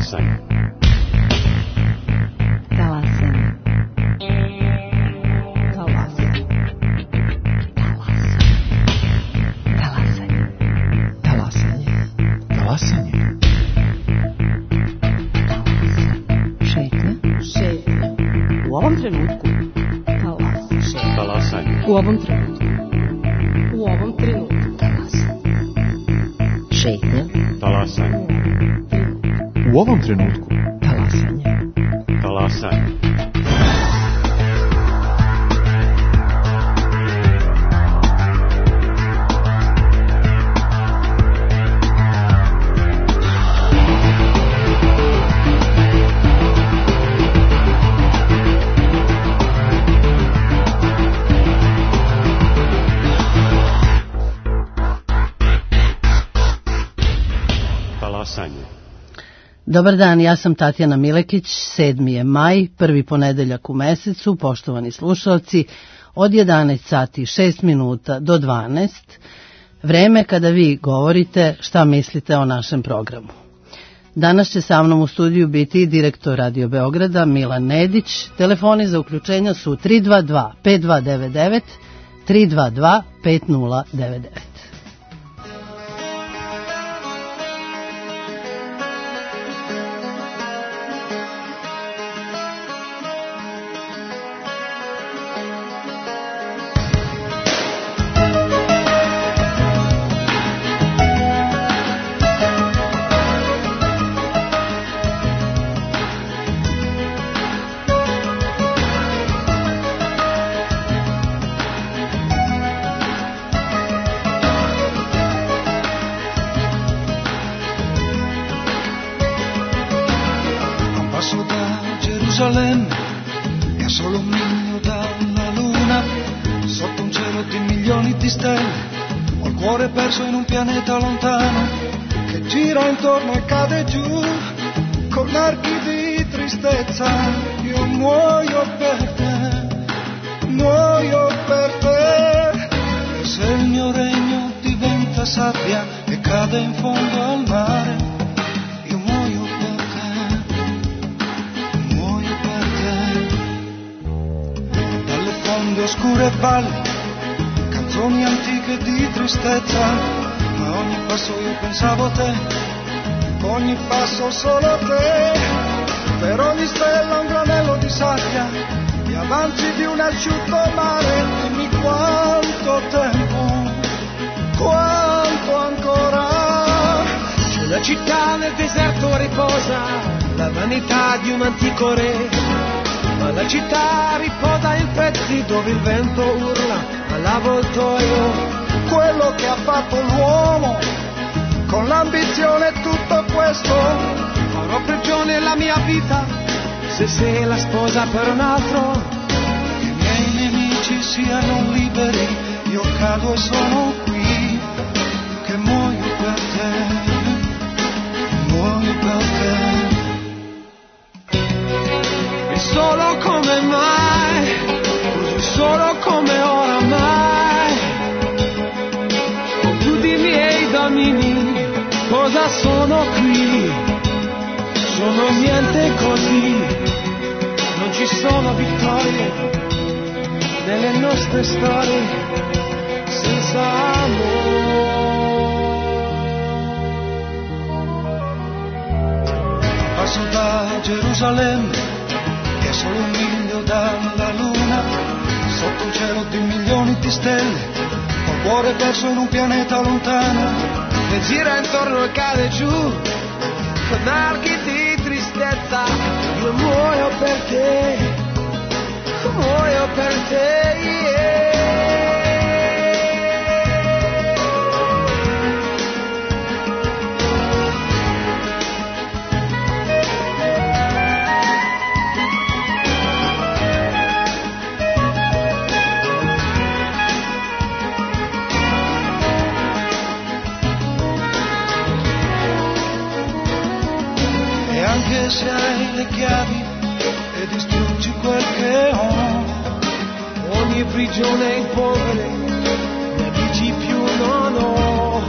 Talasanje. Talasanje. Talasanje. Talasanje. Talasanje. Šetnja. U ovom trenutku. Talasanje. U ovom trenutku. U ovom trenutku. Šetnja. Talasanje. U ovom trenutku. Talasanje. Talasanje. Dobar dan, ja sam Tatjana Milekić, 7. je maj, prvi ponedeljak u mesecu, poštovani slušalci, od 11 sati 6 minuta do 12, vreme kada vi govorite šta mislite o našem programu. Danas će sa mnom u studiju biti direktor Radio Beograda Milan Nedić, telefoni za uključenja su 322 5299, 322 5099. È solo un miglio dalla luna, sotto un cielo di milioni di stelle. Ho il cuore perso in un pianeta lontano che gira intorno e cade giù con archi di tristezza. Io muoio per te, muoio per te. E se il mio regno diventa sabbia e cade in fondo al mare, oscure valli, canzoni antiche di tristezza, ma ogni passo io pensavo a te, ogni passo solo a te, per ogni stella un granello di sabbia, gli avanzi di un asciutto mare, dimmi quanto tempo, quanto ancora. C'è una città nel deserto riposa, la vanità di un antico re. Ma la città riposa in pezzi dove il vento urla all'avvoltoio. Quello che ha fatto l'uomo con l'ambizione e tutto questo. Farò prigione la mia vita se sei la sposa per un altro. Che i miei nemici siano liberi, io cado e sono qui, che muoio per te, muoio per te. Solo come mai, così solo come oramai. Con tutti i miei domini, cosa sono qui? Sono niente così, non ci sono vittorie nelle nostre storie senza amore. Passo da Gerusalemme, è solo un miglio dalla luna, sotto un cielo di milioni di stelle, ho il cuore perso in un pianeta lontano, che gira intorno e cade giù, con archi di tristezza, io muoio per te, muoio per te, yeah. Anche se hai le chiavi e distruggi quel che ho, ogni prigione in polvere, ne dici più non ho,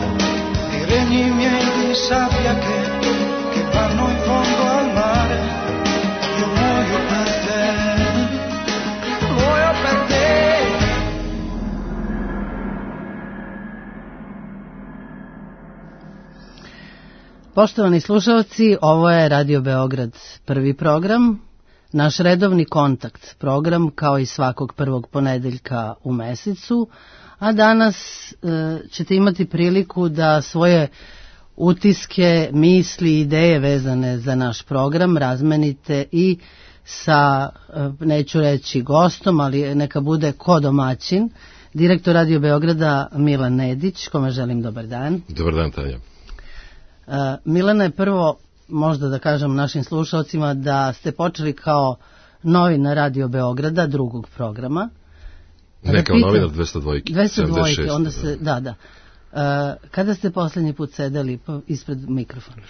i regni miei di sabbia che vanno in fondo Poštovani slušalci, ovo je Radio Beograd prvi program, naš redovni kontakt program kao i svakog prvog ponedeljka u mesecu, a danas ćete imati priliku da svoje utiske, misli i ideje vezane za naš program razmenite i sa, neću reći gostom, ali neka bude ko domaćin, direktor Radio Beograda Milan Nedić, kome želim dobar dan. Dobar dan, Tanja. Milana, je prvo, možda da kažem našim slušalcima, da ste počeli kao novinar Radio Beograda, drugog programa. Ne, kao novinar 202. 202, onda se, da. Kada ste posljednji put sedeli ispred mikrofona?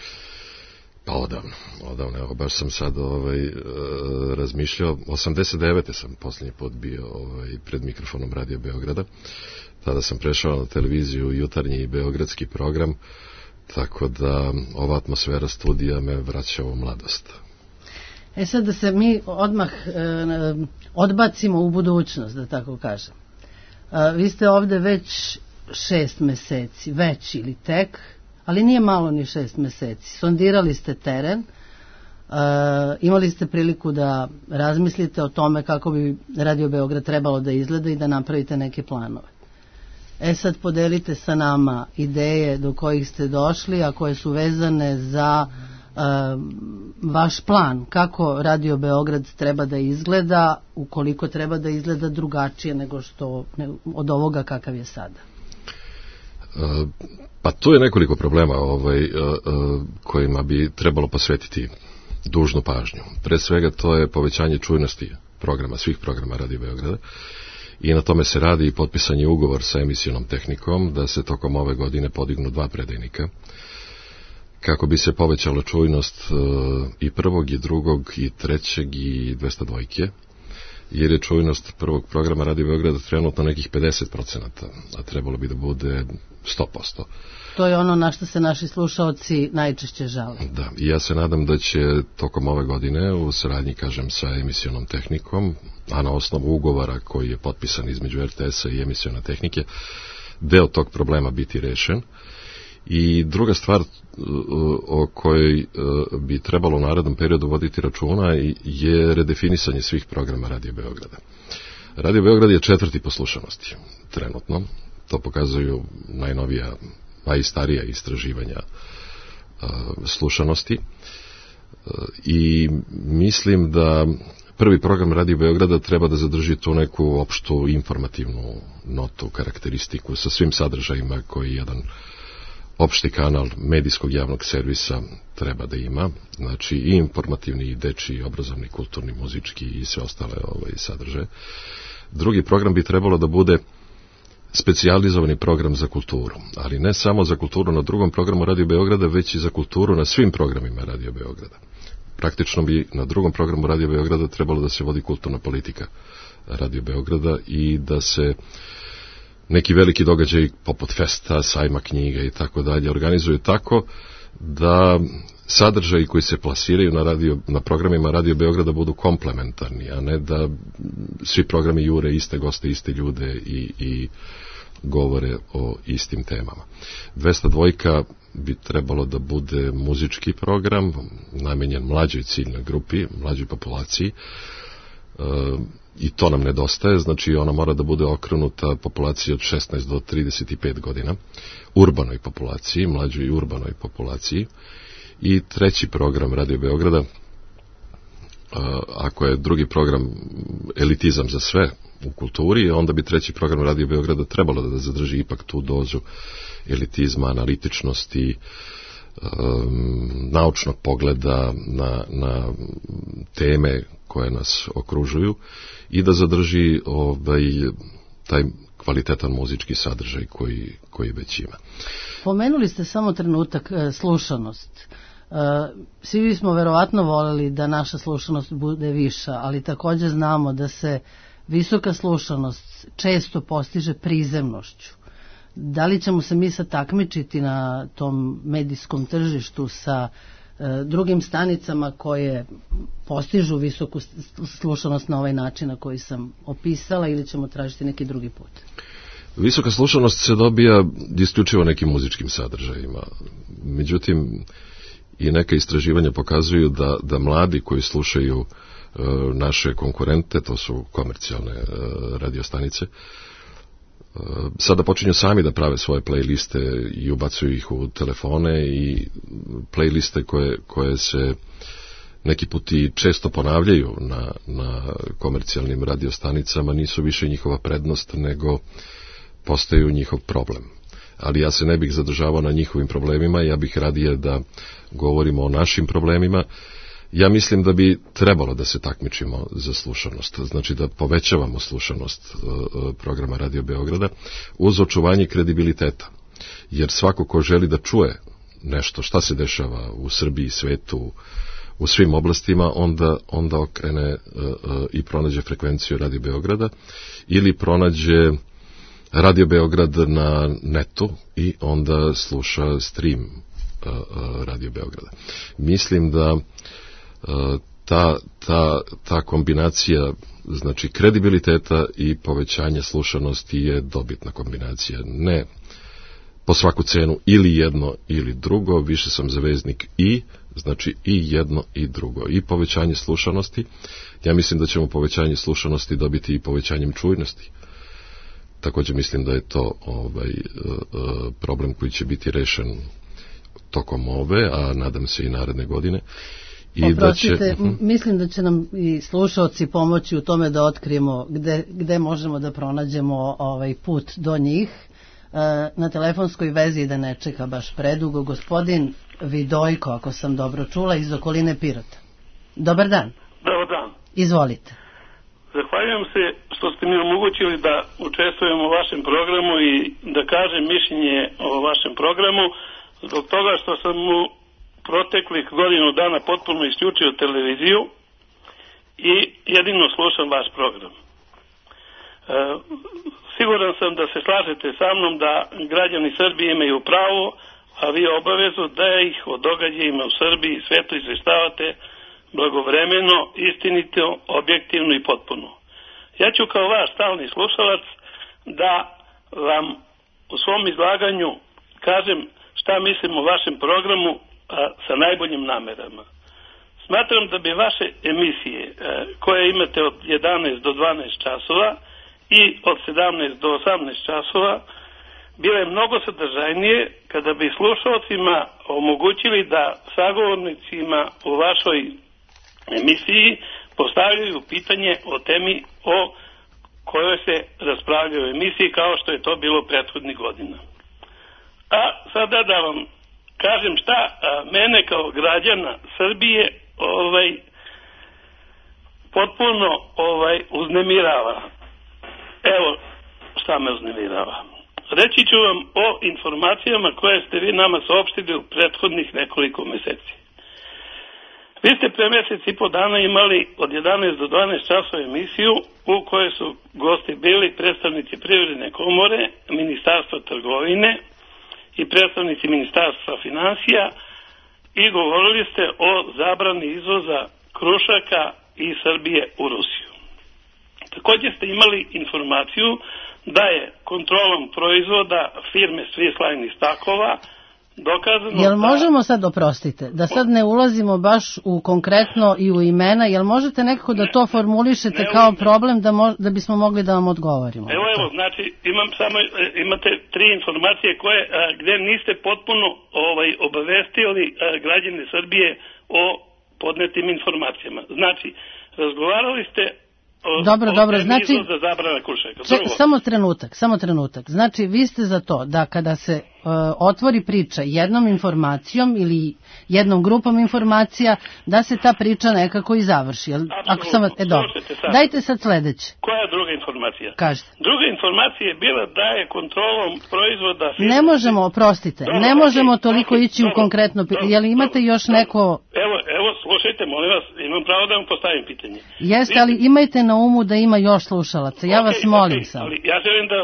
Pa odavno, evo, baš sam sad razmišljao, 89. sam posljednji put bio pred mikrofonom Radio Beograda, tada sam prešao na televiziju jutarnji i beogradski program, tako da ova atmosfera studija me vraća u mladost. Sad da se mi odmah odbacimo u budućnost, da tako kažem. Vi ste ovde već 6 meseci, već ili tek, ali nije malo ni 6 meseci. Sondirali ste teren, imali ste priliku da razmislite o tome kako bi Radio Beograd trebalo da izgleda i da napravite neke planove. Sad podelite sa nama ideje do kojih ste došli, a koje su vezane za vaš plan, kako Radio Beograd treba da izgleda, ukoliko treba da izgleda drugačije nego što od ovoga kakav je sada. Pa tu je nekoliko problema kojima bi trebalo posvetiti dužnu pažnju. Pre svega to je povećanje čujnosti programa, svih programa Radio Beograda, i na tome se radi i potpisan je ugovor sa emisionom tehnikom da se tokom ove godine podignu 2 predajnika kako bi se povećala čujnost i prvog i drugog i trećeg i 202, jer je čujnost prvog programa Radio Beograda trenutno nekih 50%, a trebalo bi da bude 100%. To je ono na što se naši slušaoci najčešće žale. Da, i ja se nadam da će tokom ove godine u saradnji, kažem, sa emisionom tehnikom, a na osnovu ugovora koji je potpisan između RTS-a i emisiona tehnike, deo tog problema biti rešen. I druga stvar o kojoj bi trebalo u narednom periodu voditi računa je redefinisanje svih programa Radio Beograda. Radio Beograd je 4. po slušanosti trenutno, to pokazuju najnovija, a i starija istraživanja slušanosti, i mislim da prvi program Radio Beograda treba da zadrži tu neku opštu informativnu notu, karakteristiku sa svim sadržajima koji jedan opšti kanal medijskog javnog servisa treba da ima, znači i informativni, i dečiji, i obrazovni, kulturni, muzički i sve ostale sadržaje. Drugi program bi trebalo da bude specijalizovani program za kulturu, ali ne samo za kulturu na drugom programu Radio Beograda, već i za kulturu na svim programima Radio Beograda. Praktično bi na drugom programu Radio Beograda trebalo da se vodi kulturna politika Radio Beograda i da se neki veliki događaj poput festa, sajma knjiga i tako dalje organizuju tako da sadržaji koji se plasiraju na programima Radio Beograda budu komplementarni, a ne da svi programi jure iste goste, iste ljude i govore o istim temama. 202 bi trebalo da bude muzički program namenjen mlađoj ciljnoj grupi, mlađoj populaciji, i to nam nedostaje, znači ona mora da bude okrenuta populaciji od 16 do 35 godina, urbanoj populaciji, mlađoj urbanoj populaciji. I treći program Radio Beograda, ako je drugi program elitizam za sve u kulturi, onda bi treći program Radio Beograda trebalo da zadrži ipak tu dozu elitizma, analitičnosti, naučnog pogleda na teme koje nas okružuju i da zadrži taj kvalitetan muzički sadržaj koji već ima. Pomenuli ste samo trenutak slušanost. Svi bismo verovatno voleli da naša slušanost bude viša, ali također znamo da se visoka slušanost često postiže prizemnošću. Da li ćemo se mi sad takmičiti na tom medijskom tržištu sa drugim stanicama koje postižu visoku slušanost na ovaj način na koji sam opisala, ili ćemo tražiti neki drugi put? Visoka slušanost se dobija isključivo nekim muzičkim sadržajima. Međutim, i neka istraživanja pokazuju da mladi koji slušaju naše konkurente, to su komercijalne radiostanice, sada počinju sami da prave svoje playliste i ubacuju ih u telefone, i playliste koje se neki put i često ponavljaju na komercijalnim radiostanicama nisu više njihova prednost, nego postaju njihov problem. Ali ja se ne bih zadržavao na njihovim problemima, ja bih radije da govorimo o našim problemima. Ja mislim da bi trebalo da se takmičimo za slušanost, znači da povećavamo slušanost programa Radio Beograda uz očuvanje kredibiliteta. Jer svako ko želi da čuje nešto šta se dešava u Srbiji, svetu, u svim oblastima, onda okrene i pronađe frekvenciju Radio Beograda ili pronađe Radio Beograd na netu i onda sluša stream Radio Beograda. Mislim da ta kombinacija, znači kredibiliteta i povećanje slušanosti, je dobitna kombinacija. Ne po svaku cenu ili jedno ili drugo, više sam zaveznik znači i jedno i drugo. I povećanje slušanosti, ja mislim da ćemo povećanje slušanosti dobiti i povećanjem čujnosti. Također mislim da je to problem koji će biti rešen tokom ove, a nadam se i naredne godine. Oprostite, mislim da će nam i slušalci pomoći u tome da otkrijemo gde možemo da pronađemo put do njih. Na telefonskoj vezi, da ne čeka baš predugo, gospodin Vidojko, ako sam dobro čula, iz okoline Pirota. Dobar dan. Dobar dan. Izvolite. Zahvaljujem se što ste mi omogućili da učestvujem u vašem programu i da kažem mišljenje o vašem programu, zbog toga što sam u proteklih godinu dana potpuno isključio televiziju i jedino slušam vaš program. Siguran sam da se slažete sa mnom da građani Srbije imaju pravo, a vi obavezu da ih o događajima u Srbiji i svetu izveštavate blagovremeno, istinito, objektivno i potpuno. Ja ću kao vaš stalni slušalac da vam u svom izlaganju kažem šta mislim o vašem programu sa najboljim namerama. Smatram da bi vaše emisije koje imate od 11 do 12 časova i od 17 do 18 časova bile mnogo sadržajnije kada bi slušalcima omogućili da sagovornicima u vašoj emisiji postavljaju pitanje o temi o kojoj se raspravlja u emisiji, kao što je to bilo prethodnih godina. A sada da vam kažem šta mene kao građana Srbije potpuno uznemirava. Evo šta me uznemirava. Reći ću vam o informacijama koje ste vi nama saopštili u prethodnih nekoliko meseci. Vi ste pre mesec i po dana imali od 11 do 12 časova emisiju u kojoj su gosti bili predstavnici Privredne komore, Ministarstva trgovine i predstavnici Ministarstva finansija i govorili ste o zabrani izvoza krušaka iz Srbije u Rusiju. Također ste imali informaciju da je kontrolom proizvoda firme Swiss Line iz Takova dokazano... Jel možemo sad, oprostite, da sad ne ulazimo baš u konkretno i u imena, jel možete nekako da to formulišete kao problem da bismo mogli da vam odgovorimo? Evo, znači imate 3 informacije gde niste potpuno obavestili građane Srbije o podnetim informacijama. Znači, razgovarali ste Dobro, znači, za zabrana krušaka. Samo trenutak. Znači, vi ste za to da kada se otvori priča jednom informacijom ili jednom grupom informacija, da se ta priča nekako i završi. Dobro. Dajte sad sledeće. Koja je druga informacija? Kažete. Druga informacija je bila da je kontrolom proizvoda... Ne možemo, oprostite, ne možemo toliko ići u konkretno... Jel imate još neko... Evo, slušajte, molim vas, imam pravo da vam postavim pitanje. Jeste, ali imajte na umu da ima još slušalaca, ja vas molim sam. Ali ja želim da,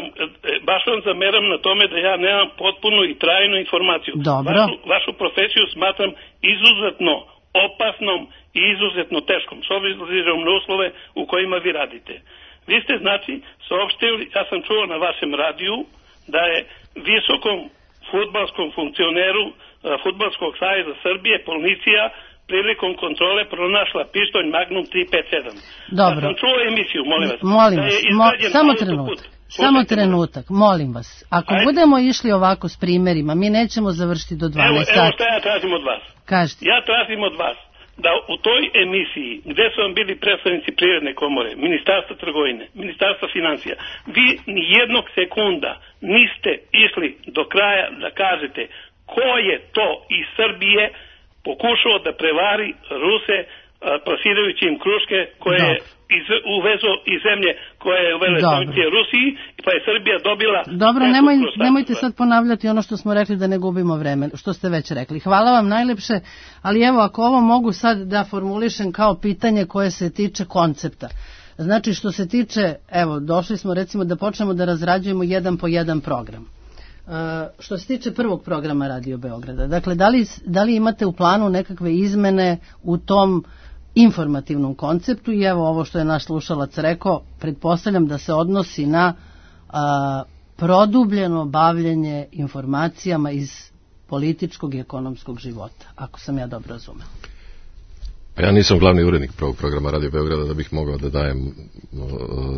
baš vam zameram na tome da ja nemam potpunu i trajnu informaciju. Dobro. Vašu profesiju smatram izuzetno opasnom i izuzetno teškom, s obzirom na uslove u kojima vi radite. Vi ste, znači, saopštili, ja sam čuo na vašem radiju, da je visokom fudbalskom funkcioneru Fudbalskog saveza Srbije policija prilikom kontrole pronašla pištolj Magnum 357. Dobro. Ja sam čuo emisiju, molim vas. Molim vas, samo trenutak, molim vas. Ako budemo išli ovako s primjerima, mi nećemo završiti do 12 sati. Evo što ja tražim od vas. Kažite. Ja tražim od vas da u toj emisiji gdje su vam bili predstavnici Privredne komore, Ministarstva trgovine, Ministarstva financija, vi ni jednog sekunda niste išli do kraja da kažete ko je to iz Srbije pokušao da prevari Ruse plasirajući im kruške koje je uvezo iz zemlje koje je uvele sankcije Rusiji, pa je Srbija dobila... Dobro, nemojte sad ponavljati ono što smo rekli da ne gubimo vreme, što ste već rekli. Hvala vam najlepše, ali evo ako ovo mogu sad da formulišem kao pitanje koje se tiče koncepta. Znači što se tiče, evo došli smo recimo da počnemo da razrađujemo jedan po jedan program. Što se tiče prvog programa Radio Beograda, dakle da li imate u planu nekakve izmene u tom informativnom konceptu i evo ovo što je naš slušalac rekao, pretpostavljam da se odnosi na produbljeno bavljenje informacijama iz političkog i ekonomskog života, ako sam ja dobro razumela. Ja nisam glavni urednik prvog programa Radio Beograda da bih mogao da dajem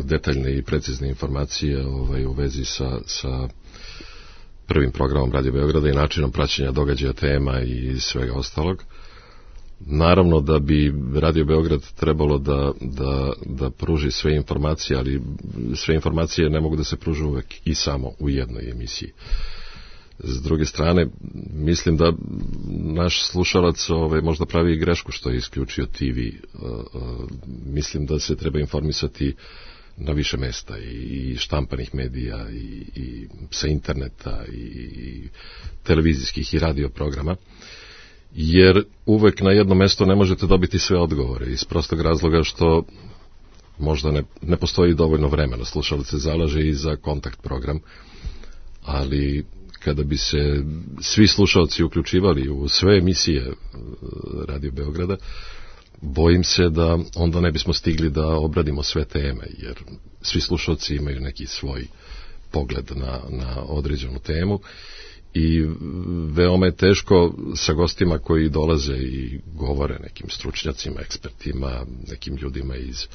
detaljne i precizne informacije u vezi sa prvim programom Radio Beograda i načinom praćenja događaja, tema i svega ostalog. Naravno da bi Radio Beograd trebalo da pruži sve informacije, ali sve informacije ne mogu da se pruže uvek i samo u jednoj emisiji. S druge strane, mislim da naš slušalac možda pravi grešku što je isključio TV. Mislim da se treba informisati na više mesta i štampanih medija i sa interneta i televizijskih i radio programa, jer uvek na jedno mesto ne možete dobiti sve odgovore iz prostog razloga što možda ne postoji dovoljno vremena. Slušalac se zalaže i za kontakt program, ali kada bi se svi slušalci uključivali u sve emisije Radio Beograda, bojim se da onda ne bismo stigli da obradimo sve teme, jer svi slušalci imaju neki svoj pogled na određenu temu i veoma je teško sa gostima koji dolaze i govore nekim stručnjacima, ekspertima, nekim ljudima iz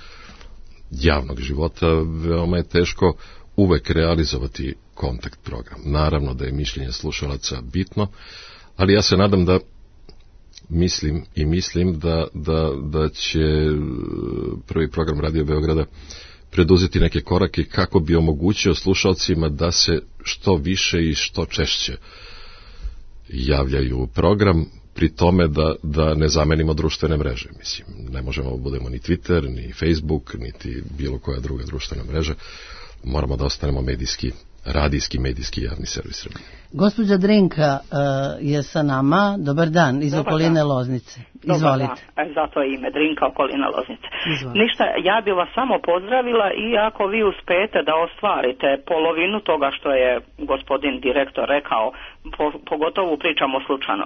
javnog života, veoma je teško uvek realizovati kontakt program. Naravno da je mišljenje slušalaca bitno, ali ja se nadam da mislim da će prvi program Radio Beograda preduzeti neke korake kako bi omogućio slušalcima da se što više i što češće javljaju u program, pri tome da ne zamenimo društvene mreže. Mislim, ne možemo da budemo ni Twitter, ni Facebook, niti bilo koja druga društvena mreža. Moramo da ostanemo radijski javni servis Srbije. Gospođa Drinka je sa nama. Dobar dan, iz okoline Loznice. Izvolite. Dobar dan, zato je ime Drinka, okolina Loznice. Ništa, ja bi vas samo pozdravila i ako vi uspete da ostvarite polovinu toga što je gospodin direktor rekao, pogotovo pričamo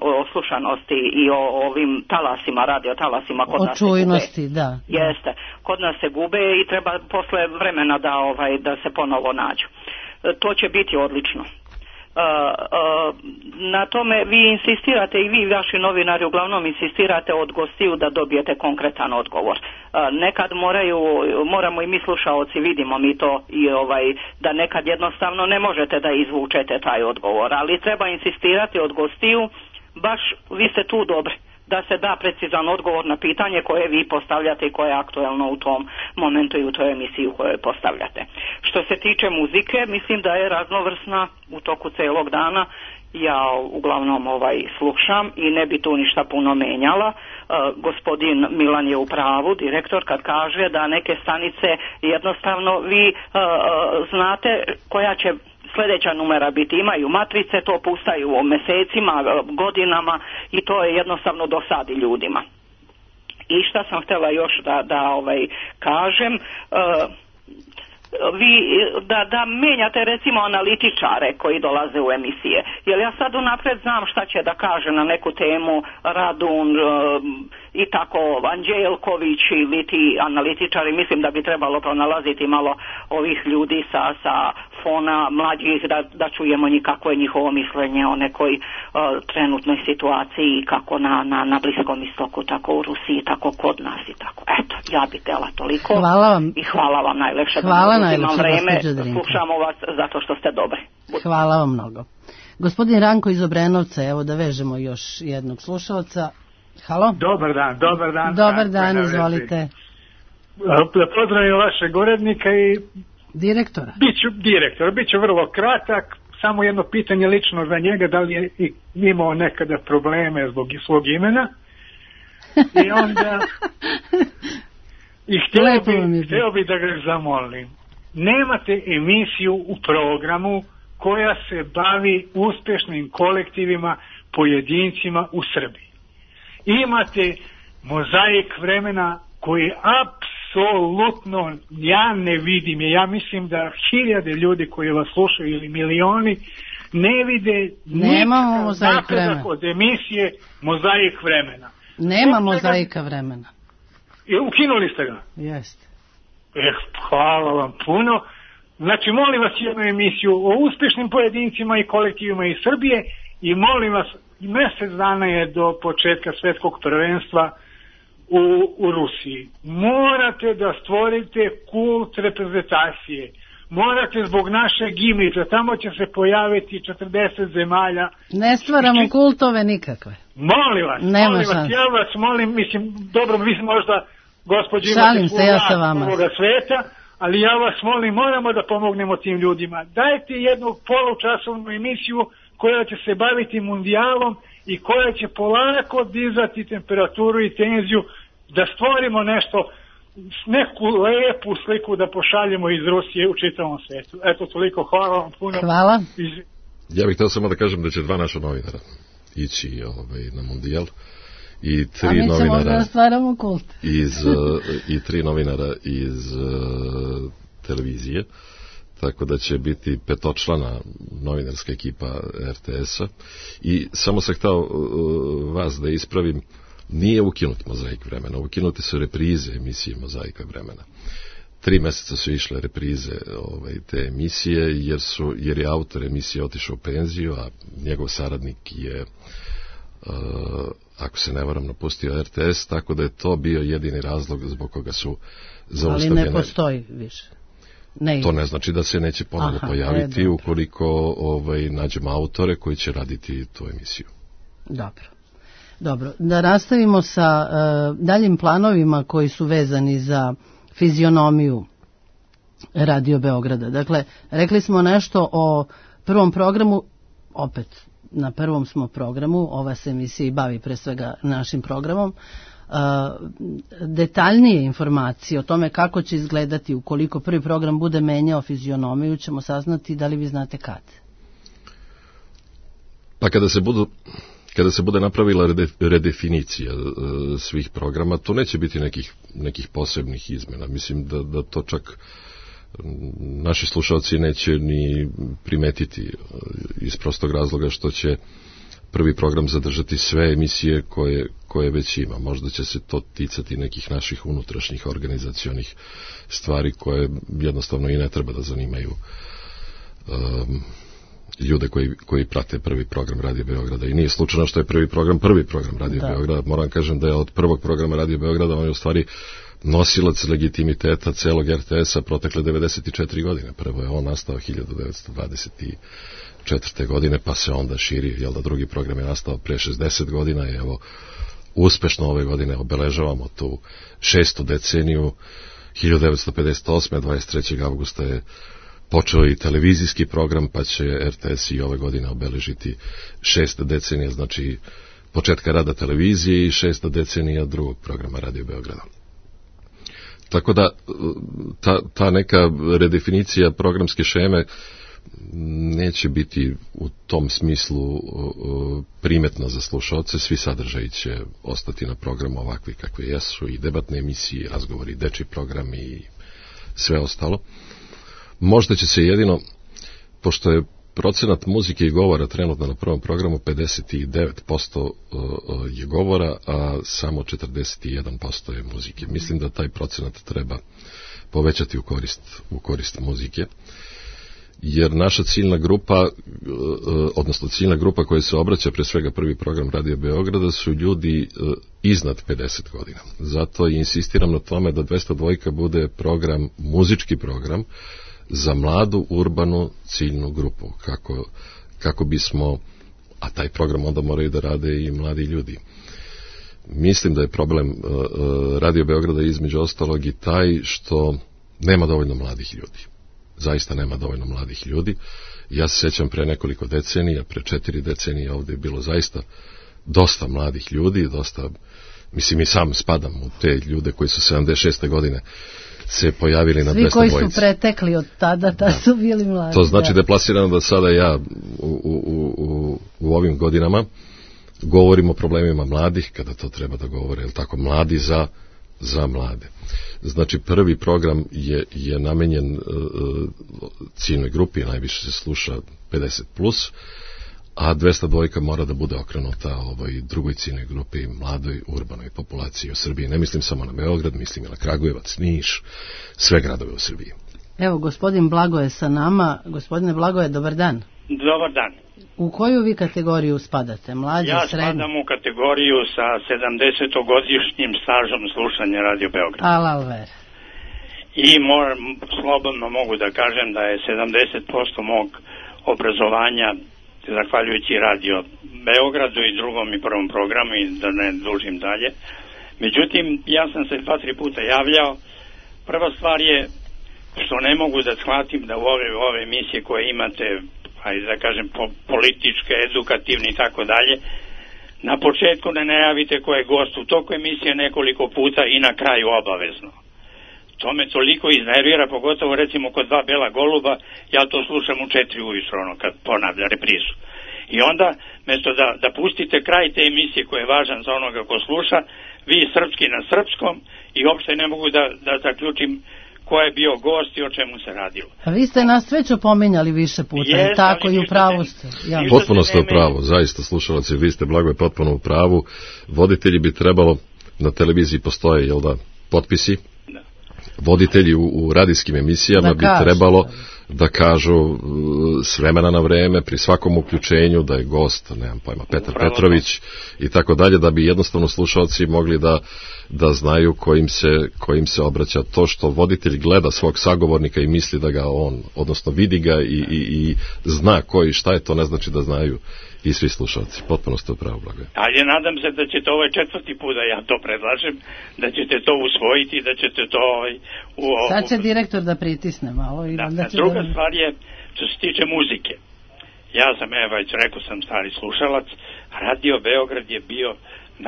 o slušanosti i o ovim talasima, radio talasima kod nas se gube. Da. Jeste, kod nas se gube i treba posle vremena da se ponovo nađu. To će biti odlično. Na tome vi insistirate i vi vaši novinari uglavnom insistirate od gostiju da dobijete konkretan odgovor. Nekad moramo i mi slušaoci, vidimo mi to i da nekad jednostavno ne možete da izvučete taj odgovor, ali treba insistirati od gostiju, baš vi ste tu dobri da se da precizan odgovor na pitanje koje vi postavljate i koje je aktuelno u tom momentu i u toj emisiji u kojoj postavljate. Što se tiče muzike, mislim da je raznovrsna u toku celog dana. Ja uglavnom slušam i ne bi tu ništa puno menjala. Gospodin Milan je u pravu, direktor, kad kaže da neke stanice jednostavno vi znate koja će sljedeća numera biti, imaju matrice, to pustaju o mesecima, godinama i to je jednostavno dosadi ljudima. I šta sam htjela još da kažem, vi da menjate recimo analitičare koji dolaze u emisije, jer ja sad unapred znam šta će da kaže na neku temu Radun i tako Anđelković ili ti analitičari, mislim da bi trebalo pronalaziti malo ovih ljudi sa fona mlađih, da čujemo kako je njihovo mišljenje o nekoj trenutnoj situaciji, kako na Bliskom istoku, tako u Rusiji, tako kod nas i tako. Eto, ja bi tela toliko. Hvala vam. I hvala vam najlepše. Hvala najlepše, gospođo Drinka. Slušamo vas zato što ste dobri. Hvala vam mnogo. Gospodin Ranko iz Obrenovca, evo da vežemo još jednog slušalca. Halo? Dobar dan. Dobar dan, izvolite. Pozdravim vašeg urednika i direktora. Biću vrlo kratak, samo jedno pitanje lično za njega, da li je imao nekada probleme zbog svog imena. I onda htio bi da ga zamolim. Nemate emisiju u programu koja se bavi uspješnim kolektivima, pojedincima u Srbiji. Imate mozaik vremena koji apsolutno ja ne vidim. Ja mislim da hiljade ljudi koji vas slušaju ili milioni ne vide nikakav napredak od emisije mozaik vremena. Nema mozaika vremena. Ukinuli ste ga? Jeste. Hvala vam puno. Znači, molim vas jednu emisiju o uspješnim pojedincima i kolektivima iz Srbije i molim vas, mjesec dana je do početka svjetskog prvenstva u Rusiji. Morate da stvorite kult reprezentacije. Morate zbog našeg imidža, tamo će se pojaviti 40 zemalja. Ne stvaramo kultove nikakve. Molim vas, ja vas molim, mislim, dobro, vi možda, gospođo, imate ovoga sveta, ali ja vas molim, moramo da pomognemo tim ljudima. Dajte jednu polučasovnu emisiju koja će se baviti mundijalom i koja će polako dizati temperaturu i tenziju, da stvorimo nešto, neku lepu sliku da pošaljemo iz Rusije u čitavom svijetu. Eto, toliko, hvala vam puno. Hvala. Ja bih htio samo da kažem da će 2 naša novinara ići na mundijal i 3 novinara i 3 novinara iz televizije, tako da će biti 5-člana novinarska ekipa RTS-a. I samo sam htio vas da ispravim, nije ukinut mozaik vremena, ukinute su reprize emisije mozaika vremena. 3 mjeseca su išle reprize te emisije jer je autor emisije otišao u penziju, a njegov saradnik je, ako se ne varam, napustio RTS, tako da je to bio jedini razlog zbog koga su zaustavljene. Ali ne postoji više. To ne znači da se neće ponovno pojaviti ukoliko nađemo autore koji će raditi tu emisiju. Dobro, da nastavimo sa daljim planovima koji su vezani za fizionomiju Radio Beograda. Dakle, rekli smo nešto o prvom programu, opet na prvom smo programu, ova se emisija i bavi pre svega našim programom. Detaljnije informacije o tome kako će izgledati ukoliko prvi program bude menjao fizionomiju ćemo saznati, da li vi znate kad? Pa kada se bude napravila redefinicija svih programa, to neće biti nekih posebnih izmjena. Mislim da to čak naši slušalci neće ni primetiti iz prostog razloga što će prvi program zadržati sve emisije koje već ima. Možda će se to ticati nekih naših unutrašnjih organizacionih stvari koje jednostavno i ne treba da zanimaju ljude koji prate prvi program Radio Beograda. I nije slučajno što je prvi program Radio Beograda. Moram kažem da je od prvog programa Radio Beograda on je u stvari nosilac legitimiteta celog RTS-a protekle 94 godine. Prvo je on nastao 1924. godine, pa se onda širi, jel da drugi program je nastao pre 60 godina i evo uspešno ove godine obeležavamo tu 6. deceniju. 1958. 23. augusta je počeo i televizijski program, pa će RTS i ove godine obeležiti 6. decenija, znači početka rada televizije i 6. decenija drugog programa Radio Beograda. Tako da ta neka redefinicija programske šeme neće biti u tom smislu primetna za slušaoce. Svi sadržaji će ostati na programu ovakvi kakvi jesu, i debatne emisije, razgovori, dečji programi i sve ostalo. Možda će se jedino, pošto je procenat muzike i govora trenutno na prvom programu 59% je govora, a samo 41% je muzike. Mislim da taj procenat treba povećati u korist muzike, jer naša ciljna grupa, odnosno ciljna grupa koja se obraća, pre svega prvi program Radio Beograda, su ljudi iznad 50 godina. Zato insistiram na tome da 202 bude program, muzički program za mladu urbanu ciljnu grupu, kako bismo, a taj program onda moraju da rade i mladi ljudi. Mislim da je problem Radio Beograda između ostalog i taj što nema dovoljno mladih ljudi. Zaista nema dovoljno mladih ljudi. Ja se sećam pre nekoliko decenija, pre 4 decenije ovde je bilo zaista dosta mladih ljudi, mislim i sam spadam u te ljude koji su 76. godine se pojavili na 202. Svi koji su pretekli od tada su bili mladi. To znači da je plasirano da sada ja u ovim godinama govorim o problemima mladih, kada to treba da govore, je li tako, mladi za mlade. Znači, prvi program je namenjen ciljnoj grupi, najviše se sluša 50+, a 202 mora da bude okrenuta drugoj ciljnoj grupi, mladoj urbanoj populaciji u Srbiji. Ne mislim samo na Beograd, mislim i na Kragujevac, Niš, sve gradove u Srbiji. Evo, gospodin Blagoje sa nama. Gospodine Blagoje, dobar dan. Dobar dan. U koju vi kategoriju spadate? Mlađi, srednji? Ja spadam u kategoriju sa 70-godišnjim stažom slušanja Radio Beograd. Alalver. I slobodno mogu da kažem da je 70% mog obrazovanja zahvaljujući Radio Beogradu i drugom i prvom programu, i da ne dužim dalje. Međutim, ja sam se 2-3 puta javljao. Prva stvar je što ne mogu da shvatim da u ove emisije koje imate, ajde da kažem političke, edukativne i tako dalje, na početku ne najavite ko je gost u toku emisije nekoliko puta i na kraju obavezno. To me toliko iznervira, pogotovo recimo kod 2 bela goluba, ja to slušam u 4 ujutro, kad ponavlja reprizu. I onda, mesto da pustite kraj te emisije koji je važan za onoga ko sluša, vi srpski na srpskom, i uopšte ne mogu da zaključim ko je bio gost i o čemu se radilo. A vi ste nas već opominjali više puta, tako i u pravu ste. Potpuno ste u pravu, zaista slušalci, vi ste, Blagoje, potpuno u pravu. Voditelji bi trebalo, na televiziji postoje, jel da, potpisi, voditelji u radijskim emisijama bi trebalo da kažu s vremena na vreme, pri svakom uključenju, da je gost, nemam pojma, Petar Petrović i tako dalje, da bi jednostavno slušalci mogli da znaju kojim se obraća. To što voditelj gleda svog sagovornika i misli da ga on, odnosno vidi ga i zna koji šta je, to ne znači da znaju i svi slušalci. Potpuno ste u pravu, Blagoje. Ali nadam se da ćete ovaj 4. put, da ja to predlažem, da ćete to usvojiti, da ćete to... Sad će direktor da pritisne malo. Druga stvar je, što se tiče muzike. Ja sam, već rekao sam, stari slušalac. Radio Beograd je bio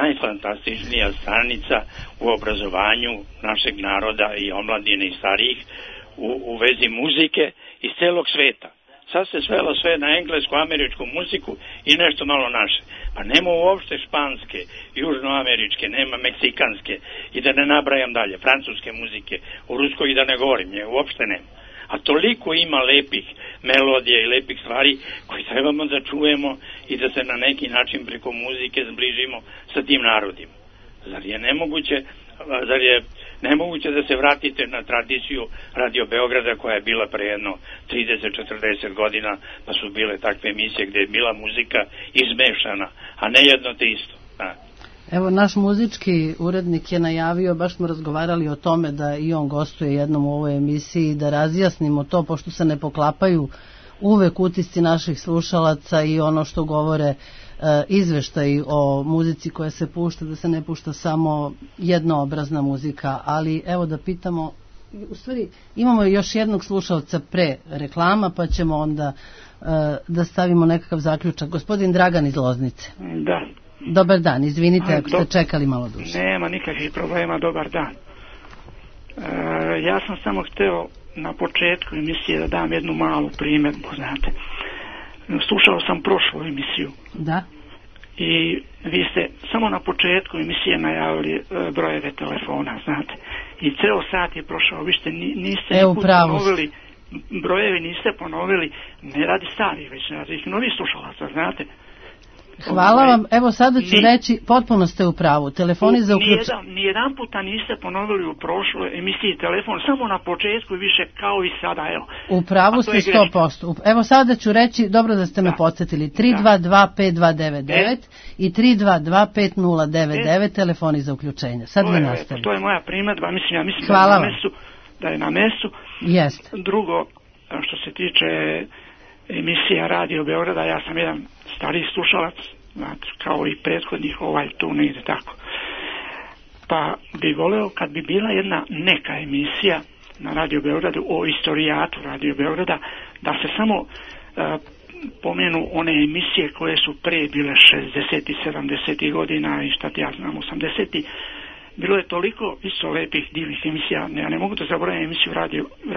najfantastičnija stanica u obrazovanju našeg naroda i omladine i starijih u vezi muzike iz celog sveta. Sad se svelo sve na englesku, američku muziku i nešto malo naše. Pa nema uopšte španske, južnoameričke, nema meksikanske i da ne nabrajam dalje, francuske muzike, u ruskoj i da ne govorim, uopšte nema. A toliko ima lepih melodija i lepih stvari koje trebamo da čujemo i da se na neki način preko muzike zbližimo sa tim narodima. Zar je nemoguće da se vratite na tradiciju Radio Beograda koja je bila pre jedno 30-40 godina, da su bile takve emisije gde je bila muzika izmešana, a ne jedno te isto. Evo, naš muzički urednik je najavio, baš smo razgovarali o tome da i on gostuje jednom u ovoj emisiji, da razjasnimo to, pošto se ne poklapaju uvek utisci naših slušalaca i ono što govore izveštaji o muzici koja se pušta, da se ne pušta samo jednoobrazna muzika, ali evo da pitamo, u stvari imamo još jednog slušalca pre reklama, pa ćemo onda da stavimo nekakav zaključak. Gospodin Dragan iz Loznice. Da. Dobar dan, izvinite ako ste čekali malo duže. Nema nikakvih problema, dobar dan. Ja sam samo hteo na početku emisije da dam jednu malu primjedbu, znate. Slušao sam prošlu emisiju. Da. I vi ste samo na početku emisije najavili brojeve telefona, znate. I ceo sat je prošao, vi ste niste ponovili brojevi niste ponovili, ne radi starih, već radi novih slušalaca, znate. Hvala vam, evo sada ću reći, potpuno ste u pravu, telefoni za uključenje. Nijedan puta niste ponovili u prošloj emisiji telefon, samo na početku i više kao i sada, evo. U pravu ste 100%. Evo sada ću reći, dobro da ste me podsjetili, 322-5299 i 322-5099, telefoni za uključenje. Sad mi nastavimo. To je moja primjedba, ja mislim da je na mestu. Jest. Drugo, što se tiče emisija Radio Beograda, ja sam jedan stariji slušalac, znači, kao i prethodnih, tu ne ide tako. Pa bi voleo kad bi bila jedna neka emisija na Radio Beogradu o istorijatu Radio Beograda, da se samo pomenu one emisije koje su pre bile 60. 70. godina i šta ti ja znam 80. Bilo je toliko isto lepih divnih emisija, ja ne mogu da zaboravim emisiju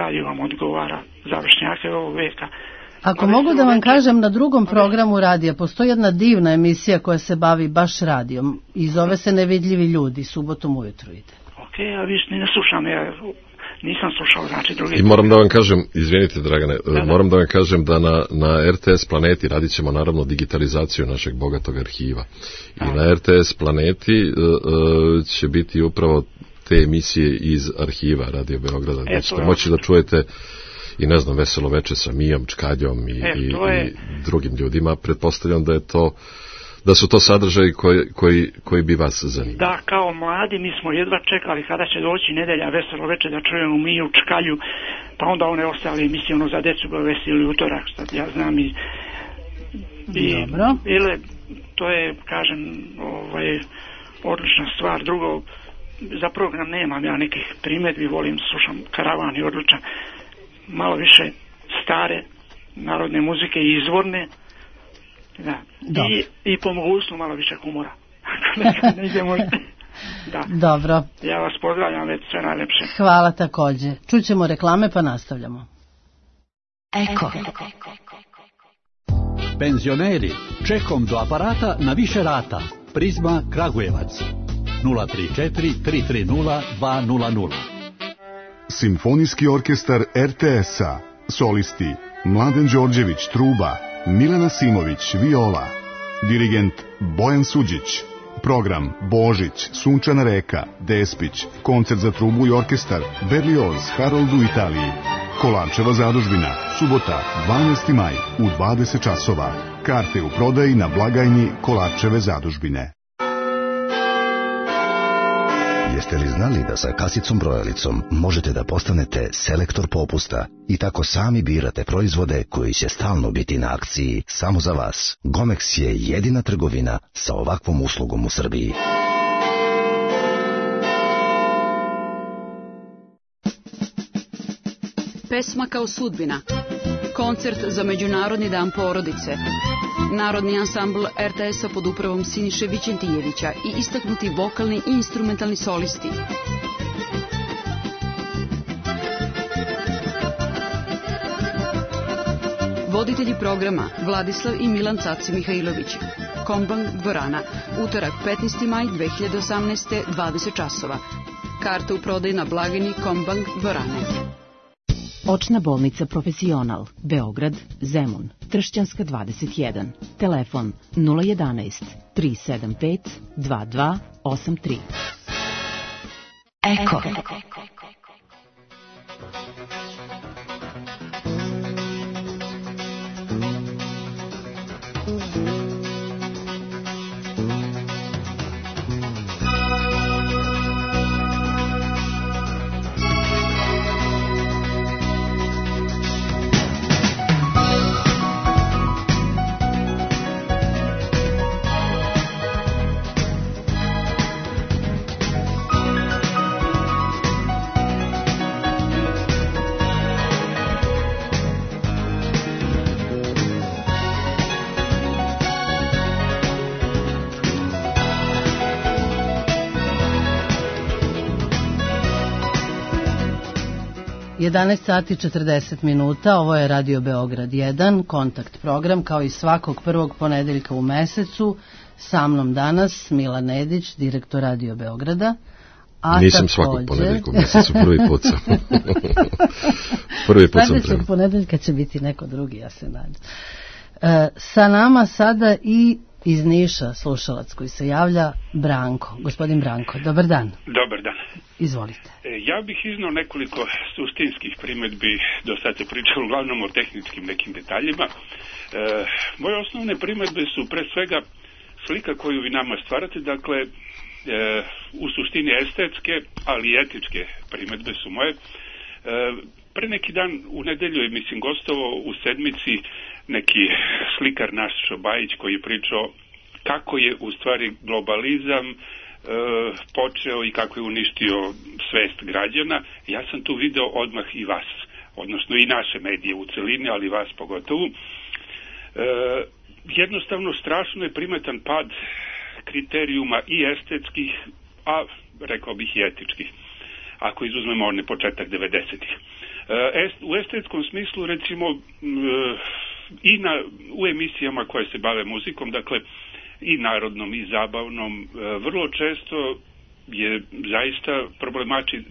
Radio vam odgovara, završnjake ovog veka. Ako mogu da vam kažem, na drugom programu radija postoji jedna divna emisija koja se bavi baš radijom i zove se Nevidljivi ljudi, subotom ujutru ide. Ok, a viš ne slušam, ja nisam slušao, znači drugi. I moram da vam kažem, izvinite Dragane, moram da vam kažem da na RTS Planeti radit ćemo naravno digitalizaciju našeg bogatog arhiva. I na RTS Planeti će biti upravo te emisije iz arhiva Radio Beograda, gdje ćete moći da čujete i ne znam, Veselo veče sa Mijom, Čkaljom i drugim ljudima. Pretpostavljam da su to sadržaji koji bi vas zanimali. Da, kao mladi mi smo jedva čekali kada će doći nedelja Veselo veče da čujemo Miju, Čkalju, pa onda one ostale emisije za decu Bovesi ili utorak, što ja znam i dobro. To je, kažem, odlična stvar. Drugo, za program nemam ja nekih primjedbi, volim, slušam Karavan i odličan. Malo više stare narodne muzike i izvorne, da. I po mogućstvu malo više humora. Da. Dobro. Ja vas pozdravljam, već sve najlepše. Hvala također. Čućemo reklame pa nastavljamo. Eko. Penzioneri, čekom do aparata na više rata. Prizma Kragujevac 034 330 200. Simfonijski orkestar RTS-a, solisti Mladen Đorđević truba, Milena Simović viola, dirigent Bojan Suđić, program Božić, Sunčana reka, Despić, koncert za trubu i orkestar Berlioz Harold u Italiji, Kolarčeva zadužbina, subota 12. maj u 20 časova, karte u prodaji na blagajni Kolarčeve zadužbine. Jeste li znali da sa kasicom brojalicom možete da postanete selektor popusta i tako sami birate proizvode koji će stalno biti na akciji samo za vas? Gomex je jedina trgovina sa ovakvom uslugom u Srbiji. Pesma kao sudbina. Koncert za Međunarodni dan porodice. Narodni ansambl RTS-a pod upravom Siniše Vićentijevića i istaknuti vokalni i instrumentalni solisti. Voditelji programa Vladislav i Milan Caci Mihajlović. Kombang dvorana, utorak 15. maj 2018. 20 časova. Karte u prodaju na blagajni Kombang dvorane. Očna bolnica Profesional, Beograd, Zemun, Tršćanska 21, telefon 011 375 2283. Eko. Jedanaest sati 40 minuta, ovo je Radio Beograd 1, kontakt program, kao i svakog prvog ponedeljka u mesecu. Sa mnom danas Milan Nedić, direktor Radio Beograda, Nisam svakog ponedeljka u mjesecu, prvi put sam. Prvi put sam Sljedećeg ponedeljka će biti neko drugi, ja se nadam. Sa nama sada i iz Niša slušalac koji se javlja, Branko. Gospodin Branko, dobar dan. Dobar dan. Izvolite. Ja bih iznao nekoliko suštinskih primjedbi, do sad se pričalo uglavnom o tehničkim nekim detaljima. Moje osnovne primjedbe su pre svega slika koju vi nama stvarate, dakle u suštini estetske, ali i etičke primjedbe su moje. Pre neki dan u nedelju je, mislim, gostovao u Sedmici neki slikar naš Šobajić koji je pričao kako je u stvari globalizam počeo i kako je uništio svest građana. Ja sam tu video odmah i vas, odnosno i naše medije u celini, ali vas pogotovo. Jednostavno strašno je primetan pad kriterijuma i estetskih, a rekao bih i etičkih, ako izuzmemo onaj početak 90-ih. U estetskom smislu, recimo, i u emisijama koje se bave muzikom, dakle i narodnom i zabavnom, vrlo često je zaista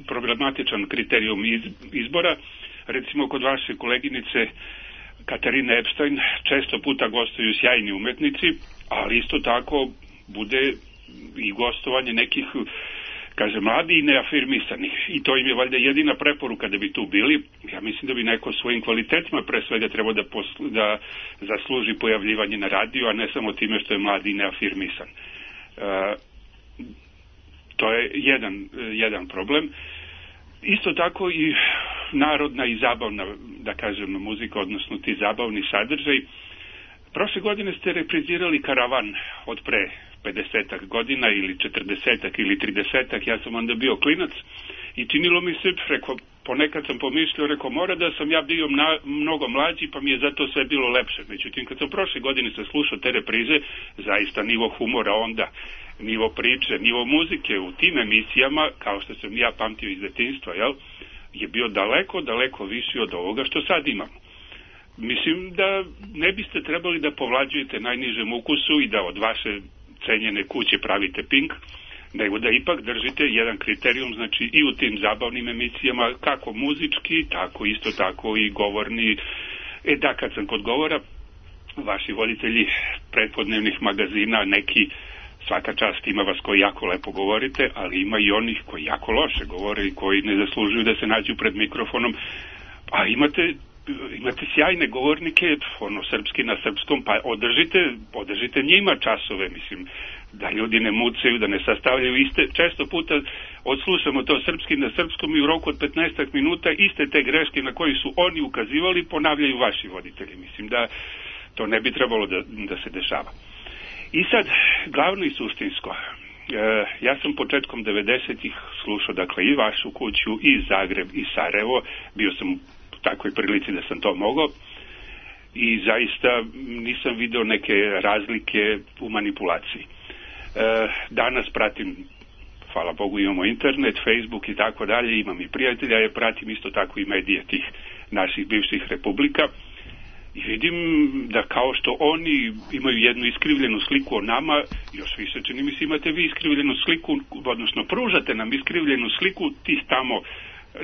problematičan kriterijum izbora. Recimo kod vaše koleginice Katarine Epstein često puta gostuju sjajni umetnici, ali isto tako bude i gostovanje nekih, kaže, mladi i neafirmisanih. I to im je valjda jedina preporuka da bi tu bili. Ja mislim da bi neko svojim kvalitetima pre svega trebao da zasluži pojavljivanje na radiju, a ne samo time što je mladi i neafirmisan. To je jedan problem. Isto tako i narodna i zabavna, da kažem, muzika, odnosno ti zabavni sadržaj. Prošle godine ste reprizirali Karavan od pre 50 godina ili 40 ili 30, ja sam onda bio klinac i činilo mi se, ponekad sam pomišljao, mora da sam ja bio mnogo mlađi, pa mi je zato sve bilo lepše. Međutim, kad sam prošle godine slušao te reprize, zaista nivo humora onda, nivo priče, nivo muzike u tim emisijama, kao što sam ja pamtio iz detinjstva, je bio daleko viši od ovoga što sad imamo. Mislim da ne biste trebali da povlađujete najnižem ukusu i da od vaše cenjene kuće pravite Pink, nego da ipak držite jedan kriterijum, znači i u tim zabavnim emisijama, kako muzički, tako isto tako i govorni. Da, kad sam kod govora, vaši voditelji pretpodnevnih magazina, neki, svaka čast, ima vas koji jako lepo govorite, ali ima i onih koji jako loše govore i koji ne zaslužuju da se nađu pred mikrofonom, a imate sjajne govornike, srpski na srpskom, pa održite njima časove, mislim, da ljudi ne mucaju, da ne sastavljaju iste, često puta odslušamo to srpski na srpskom i u roku od 15 minuta iste te greške na koje su oni ukazivali ponavljaju vaši voditelji. Mislim da to ne bi trebalo da se dešava. I sad, glavno i suštinsko, ja sam početkom 90-ih slušao, dakle, i vašu kuću, i Zagreb, i Sarajevo, bio sam u takvoj prilici da sam to mogao i zaista nisam video neke razlike u manipulaciji. Danas pratim, hvala Bogu, imamo internet, Facebook i tako dalje, imam i prijatelja, ja pratim isto tako i medije tih naših bivših republika i vidim da kao što oni imaju jednu iskrivljenu sliku o nama, još više čini mi se imate vi iskrivljenu sliku, odnosno pružate nam iskrivljenu sliku tih tamo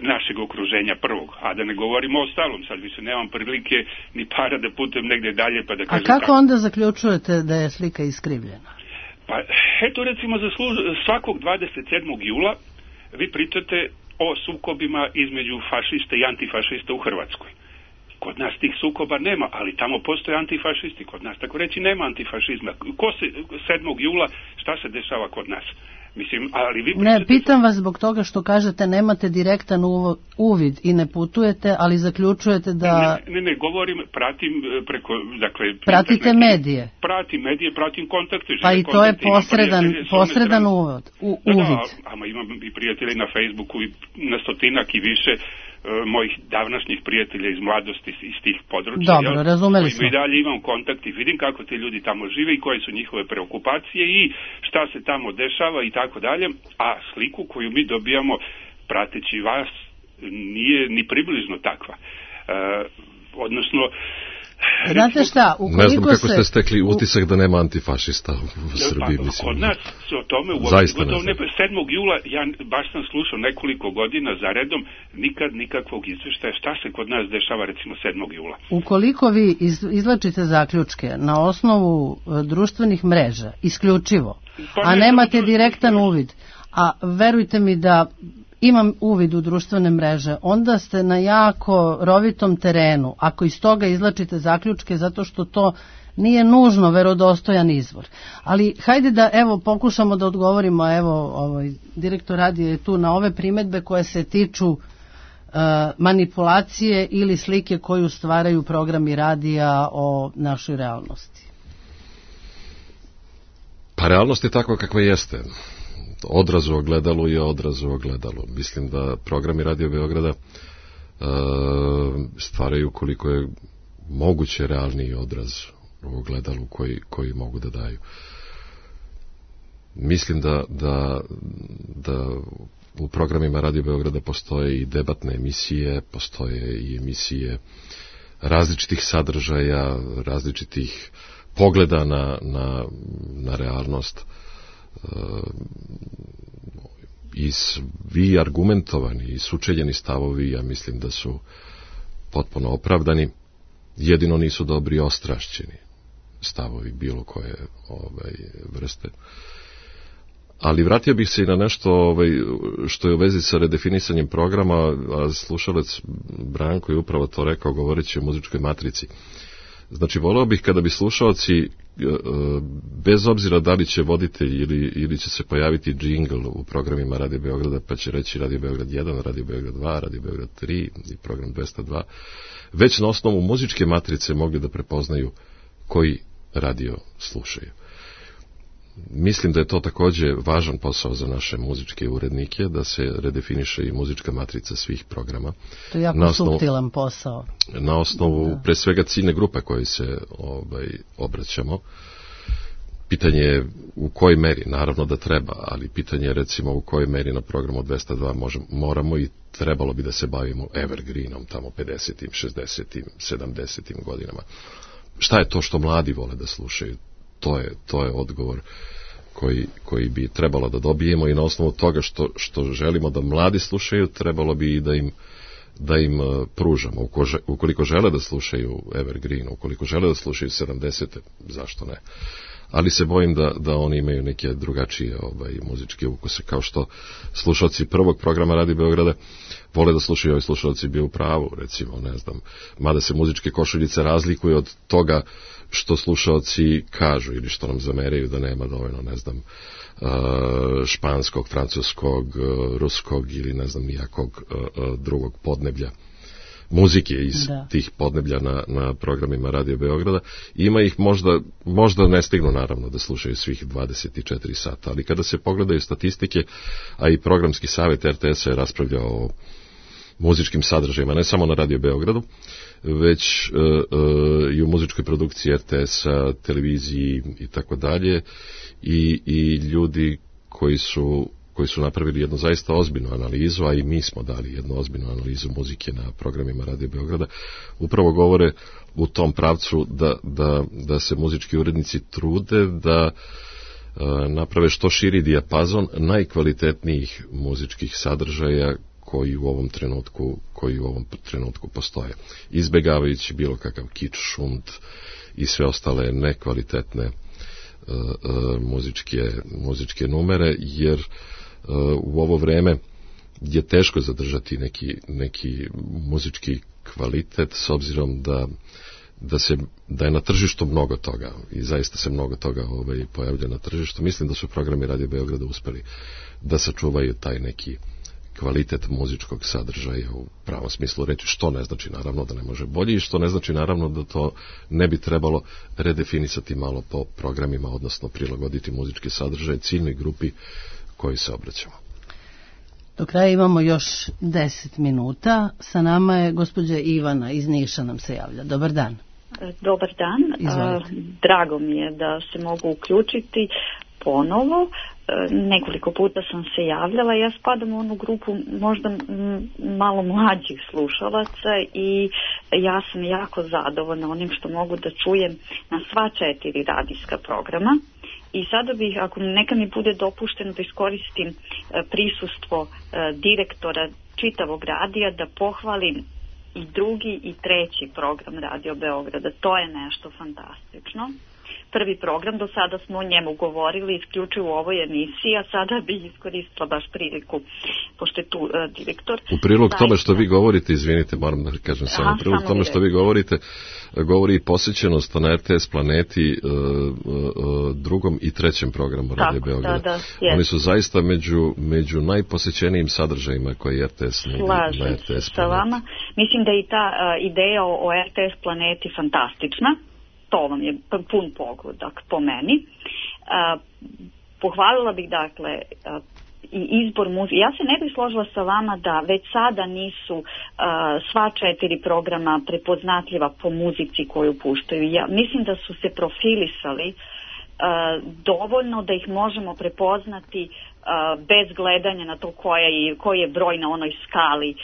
našeg okruženja prvog, a da ne govorimo o ostalom, sad više nemam prilike ni para da putujem negde dalje pa da kažem. A kako onda zaključujete da je slika iskrivljena? Pa eto, recimo za svakog 27. jula vi pričate o sukobima između fašista i antifašista u Hrvatskoj. Kod nas tih sukoba nema, ali tamo postoje antifašisti, kod nas tako reći nema antifašizma. 7. jula šta se dešava kod nas? Mislim, ali vi pričate... Ne, pitam vas zbog toga što kažete nemate direktan uvid i ne putujete, ali zaključujete da... Ne, govorim, pratim preko, dakle... Pratite medije. Pratim medije, pratim kontakte. Pa i to je posredan uvid. Da, ama imam i prijatelje na Facebooku i na stotinak i više mojih davnašnjih prijatelja iz mladosti iz tih područja. Dobro, razumeli smo. I dalje imam kontakt i vidim kako ti ljudi tamo žive i koje su njihove preokupacije i šta se tamo dešava i tako dalje, a sliku koju mi dobijamo prateći vas nije ni približno takva. Odnosno, Znate šta, ukoliko ne znam kako ste stekli utisak da nema antifašista u Srbiji. Pa, kod nas se o tome gotovo 7. jula, ja baš sam slušao nekoliko godina za redom, nikad nikakvog izveštaja šta se kod nas dešava recimo 7. jula. Ukoliko vi izvlačite zaključke na osnovu društvenih mreža, isključivo, a nemate direktan uvid, a verujte mi da imam uvid u društvene mreže, onda ste na jako rovitom terenu ako iz toga izvlačite zaključke, zato što to nije nužno verodostojan izvor. Ali hajde da pokušamo da odgovorimo, direktor radija je tu na ove primedbe koje se tiču manipulacije ili slike koju stvaraju programi radija o našoj realnosti. Pa realnost je takva kakva jeste. Odraz u ogledalu je odraz u ogledalu. Mislim da programi Radio Beograda stvaraju koliko je moguće realniji odraz u ogledalu koji mogu da daju. Mislim da u programima Radio Beograda postoje i debatne emisije, postoje i emisije različitih sadržaja, različitih pogleda na realnost. I svi argumentovani i sučeljeni stavovi, ja mislim da su potpuno opravdani, jedino nisu dobri ostrašćeni stavovi bilo koje vrste. Ali vratio bih se i na nešto što je u vezi sa redefinisanjem programa, a slušalac Branko je upravo to rekao govoreći o muzičkoj matrici. Znači, voleo bih kada bi slušalci, bez obzira da li će voditelj ili će se pojaviti džingl u programima Radio Beograda, pa će reći Radio Beograd 1, Radio Beograd 2, Radio Beograd 3 i program 202, već na osnovu muzičke matrice mogli da prepoznaju koji radio slušaju. Mislim da je to također važan posao za naše muzičke urednike, da se redefiniše i muzička matrica svih programa. To je jako suptilan posao. Na osnovu, pre svega, ciljne grupe koje se obraćamo. Pitanje je u kojoj meri, naravno da treba, ali pitanje je recimo u kojoj meri na programu 202 moramo i trebalo bi da se bavimo evergreenom tamo 50-im, 60-im, 70-im godinama. Šta je to što mladi vole da slušaju? To je odgovor koji bi trebalo da dobijemo i na osnovu toga što želimo da mladi slušaju, trebalo bi i da im pružamo. Ukoliko žele da slušaju evergreen, ukoliko žele da slušaju 70. zašto ne? Ali se bojim da oni imaju neke drugačije muzičke ukuse, kao što slušalci prvog programa Radio Beograda vole da slušaju, ovi slušalci bio u pravu, recimo, ne znam, mada se muzičke košuljice razlikuju od toga što slušalci kažu ili što nam zameraju da nema dovoljno, ne znam, španskog, francuskog, ruskog ili ne znam nijakog drugog podneblja muzike iz tih podneblja na programima Radio Beograda. Ima ih možda ne stignu naravno da slušaju svih 24 sata, ali kada se pogledaju statistike, a i programski savjet RTS-a je raspravljao o muzičkim sadržajima, ne samo na Radio Beogradu, već i u muzičkoj produkciji RTS-a, televiziji i tako dalje, i ljudi koji su napravili jednu zaista ozbiljnu analizu, a i mi smo dali jednu ozbiljnu analizu muzike na programima Radio Beograda, upravo govore u tom pravcu da se muzički urednici trude da naprave što širi dijapazon najkvalitetnijih muzičkih sadržaja koji u ovom trenutku postoje. Izbegavajući bilo kakav kič, šund i sve ostale nekvalitetne muzičke numere, jer u ovo vreme je teško zadržati neki muzički kvalitet, s obzirom da je na tržištu mnogo toga i zaista se mnogo toga pojavlja na tržištu. Mislim da su programi Radio Beograda uspeli da sačuvaju taj neki kvalitet muzičkog sadržaja u pravom smislu reći, što ne znači naravno da ne može bolje i što ne znači naravno da to ne bi trebalo redefinisati malo po programima, odnosno prilagoditi muzički sadržaj ciljnoj grupi koji se obraćamo. Do kraja imamo još 10 minuta. Sa nama je gospođa Ivana iz Niša, nam se javlja. Dobar dan. Dobar dan. Drago mi je da se mogu uključiti. ponovo. Nekoliko puta sam se javljala. Ja spadam u onu grupu možda malo mlađih slušalaca i ja sam jako zadovoljna onim što mogu da čujem na sva 4 radijska programa. I sada bih, ako neka mi bude dopušteno, da iskoristim prisustvo direktora čitavog radija da pohvalim i 2. i 3. program Radio Beograda. To je nešto fantastično. Prvi program, do sada smo o njemu govorili isključivo u ovoj emisiji, a sada bih iskoristila baš priliku, pošto je tu direktor. U prilog tome što vi govorite, izvinite, moram da kažem samo, u prilog tome što vi govorite, govori i posjećenost na RTS Planeti 2. i 3. programu Radio Beograda. Oni su zaista među najposjećenijim sadržajima koje RTS nudi na RTS Planeti. Sa vama. Mislim da je i ta ideja o RTS Planeti fantastična. To vam je pun pogodak po meni. Pohvalila bih dakle i izbor muzike. Ja se ne bih složila sa vama da već sada nisu sva 4 programa prepoznatljiva po muzici koju puštaju. Ja mislim da su se profilisali dovoljno da ih možemo prepoznati bez gledanja na to koji je broj na onoj skali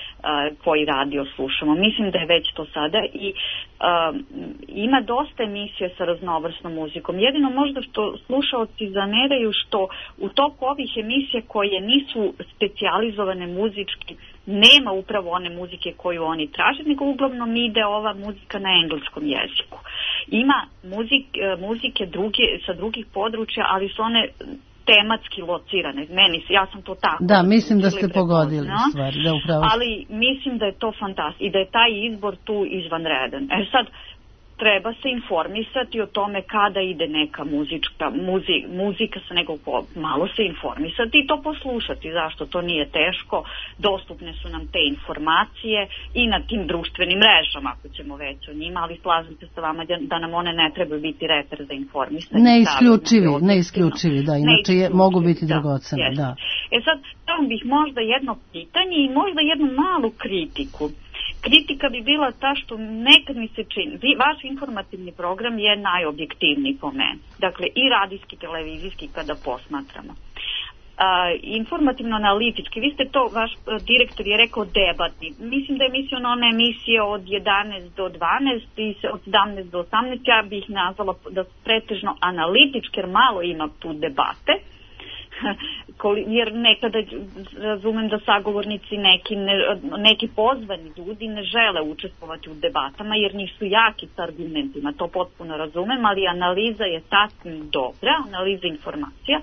koji radio slušamo. Mislim da je već to sada i ima dosta emisija sa raznovrsnom muzikom. Jedino možda što slušaoci zameraju što u toku ovih emisija koje nisu specijalizovane muzički nema upravo one muzike koju oni traže, nego uglavnom ide ova muzika na engleskom jeziku. Ima muzike sa drugih područja, ali su one tematski locirane. Ja sam to tako. Da, mislim da ste pogodili stvari. Da, upravo. Ali mislim da je to fantastično i da je taj izbor tu izvanredan. Sad, treba se informisati o tome kada ide neka muzika sa nekog, malo se informisati i to poslušati. Zašto? To nije teško. Dostupne su nam te informacije i na tim društvenim mrežama, ako ćemo već o njima, ali slažem se sa vama da nam one ne trebaju biti reper za informisanje. Neisključivi, da, inače mogu biti dragocene. Da. Sad, tamo bih možda jedno pitanje i možda jednu malu kritiku. Kritika bi bila ta što nekad mi se čini, vaš informativni program je najobjektivniji po meni. Dakle, i radijski, televizijski kada posmatramo. Informativno-analitički, vi ste to, vaš direktor je rekao debatni. Mislim da je mislio na one emisije od 11 do 12 i od 17 do 18, ja bih nazvala da pretežno analitički, jer malo ima tu debate. Jer nekada razumem da sagovornici neki pozvani ljudi ne žele učestvovati u debatama jer nisu jaki s argumentima, to potpuno razumem, ali analiza je sasvim dobra, analiza informacija,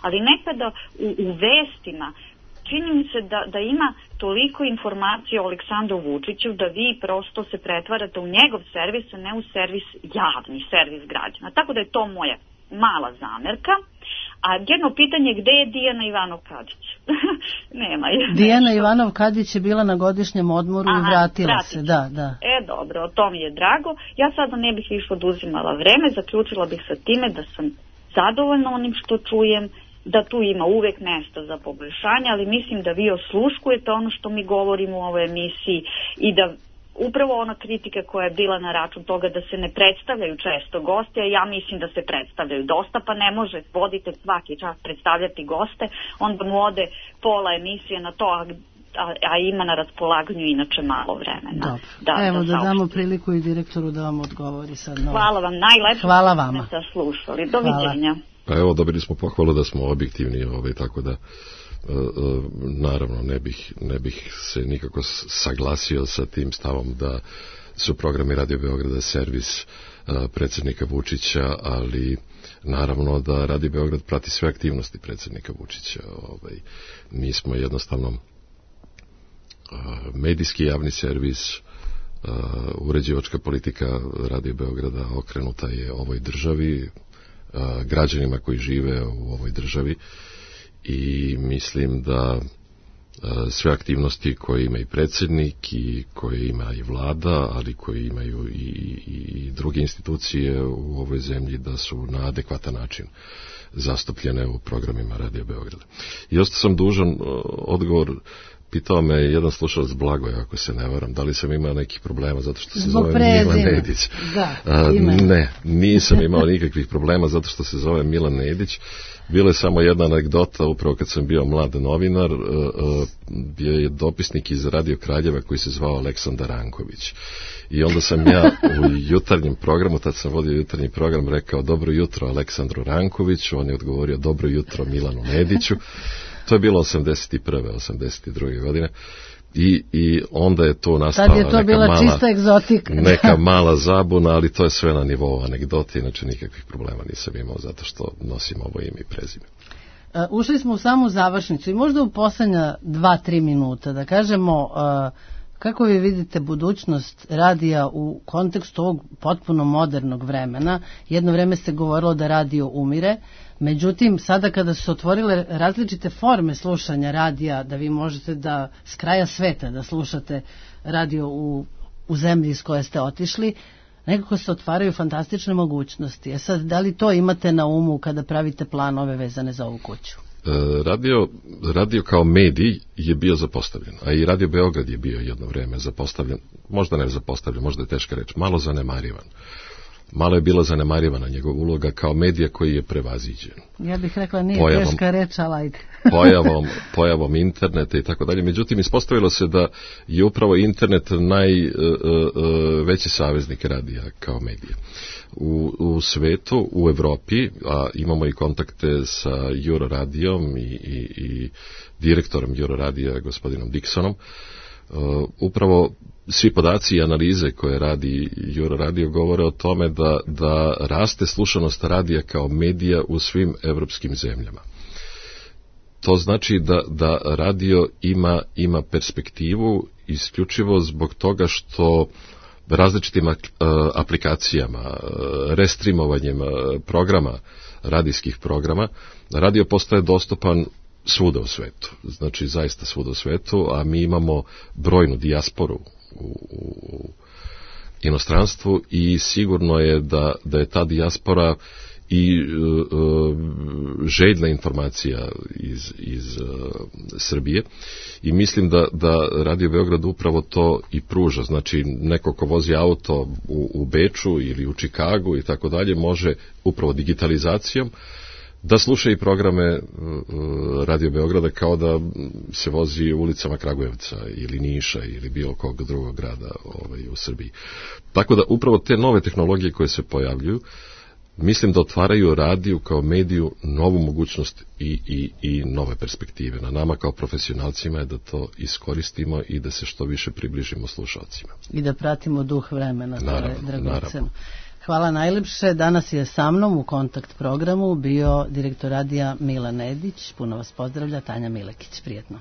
ali nekada u vestima čini mi se da ima toliko informacija o Aleksandru Vučiću da vi prosto se pretvarate u njegov servis, a ne u servis, javni servis građana. Tako da je to moja mala zamerka. A jedno pitanje, gde je Dijana Ivanov-Kadić? Nema je. Dijana Ivanov-Kadić je bila na godišnjem odmoru i vratila se. Da. Dobro, to mi je drago. Ja sada ne bih više oduzimala vreme, zaključila bih sa time da sam zadovoljna onim što čujem, da tu ima uvek mesta za poboljšanje, ali mislim da vi osluškujete ono što mi govorimo u ovoj emisiji i da upravo ona kritika koja je bila na račun toga da se ne predstavljaju često goste, a ja mislim da se predstavljaju dosta, pa ne može voditelj svaki čas predstavljati goste, onda mu ode pola emisije na to, a ima na raspolaganju inače malo vremena. Evo da damo priliku i direktoru da vam odgovori sad. Hvala vam, najlepše. Hvala vama. Ste slušali. Doviđenja. Pa evo, dobili smo pohvalu da smo objektivni, tako da naravno ne bih se nikako saglasio sa tim stavom da su programi Radio Beograda servis predsjednika Vučića, ali naravno da Radio Beograd prati sve aktivnosti predsjednika Vučića. Mi smo jednostavno medijski javni servis, uređivačka politika Radio Beograda okrenuta je ovoj državi, građanima koji žive u ovoj državi, i mislim da sve aktivnosti koje ima i predsjednik i koje ima i vlada, ali koje imaju i druge institucije u ovoj zemlji, da su na adekvatan način zastupljene u programima Radio Beograda. I ostao sam dužan odgovor pitao me jedan slušalac Blagoje, ako se ne varam, da li sam imao nekih problema zato što se zbog zove prezime. Milan Nedić. Ne, nisam imao nikakvih problema zato što se zove Milan Nedić. Bila je samo jedna anegdota, upravo kad sam bio mlad novinar, bio je dopisnik iz Radio Kraljeva koji se zvao Aleksandar Ranković. I onda sam ja u jutarnjem programu, tad sam vodio jutarnji program, rekao dobro jutro Aleksandru Rankoviću, on je odgovorio dobro jutro Milanu Nediću. To je bilo 81. 82. godine. I onda je to nastala tad je to bila čista egzotika. Neka mala zabuna, ali to je sve na nivou anegdote, inače nikakvih problema nisam imao zato što nosim ovo ime i prezime. Ušli smo u samu završnicu i možda u poslednja 2-3 minuta da kažemo kako vi vidite budućnost radija u kontekstu ovog potpuno modernog vremena. Jedno vreme se govorilo da radio umire, međutim sada kada su otvorile različite forme slušanja radija, da vi možete da s kraja sveta da slušate radio u zemlji iz koje ste otišli, nekako se otvaraju fantastične mogućnosti. Sad, da li to imate na umu kada pravite planove vezane za ovu kuću? Radio kao medij je bio zapostavljen, a i Radio Beograd je bio jedno vreme zapostavljen, možda ne zapostavljen, možda je teška reč, malo zanemarivan. Malo je bila zanemarivana njegova uloga kao medija koji je prevaziđen. Ja bih rekla nije teška reč, ali ajde. pojavom interneta i tako dalje. Međutim, ispostavilo se da je upravo internet najveći saveznik radija kao medija. U svetu, u Evropi, a imamo i kontakte sa Euroradijom i direktorom Euroradija, gospodinom Dixonom, upravo svi podaci i analize koje radi Euroradio govore o tome da raste slušanost radija kao medija u svim evropskim zemljama. To znači da radio ima perspektivu isključivo zbog toga što različitim aplikacijama, restreamovanjem programa, radijskih programa, radio postaje dostupan svuda u svetu, znači zaista svuda u svetu, a mi imamo brojnu dijasporu u inostranstvu i sigurno je da je ta dijaspora i željna informacija iz Srbije i mislim da Radio Beograd upravo to i pruža, znači neko ko vozi auto u Beču ili u Čikagu i tako dalje može upravo digitalizacijom da sluša i programe Radio Beograda kao da se vozi ulicama Kragujevca ili Niša ili bilo kog drugog grada u Srbiji. Tako da upravo te nove tehnologije koje se pojavljuju, mislim da otvaraju radiju kao mediju novu mogućnost i nove perspektive. Na nama kao profesionalcima je da to iskoristimo i da se što više približimo slušalcima. I da pratimo duh vremena. Naravno. Hvala najlepše. Danas je sa mnom u kontakt programu bio direktor radija Milan Nedić. Puno vas pozdravlja Tanja Milekić. Prijetno.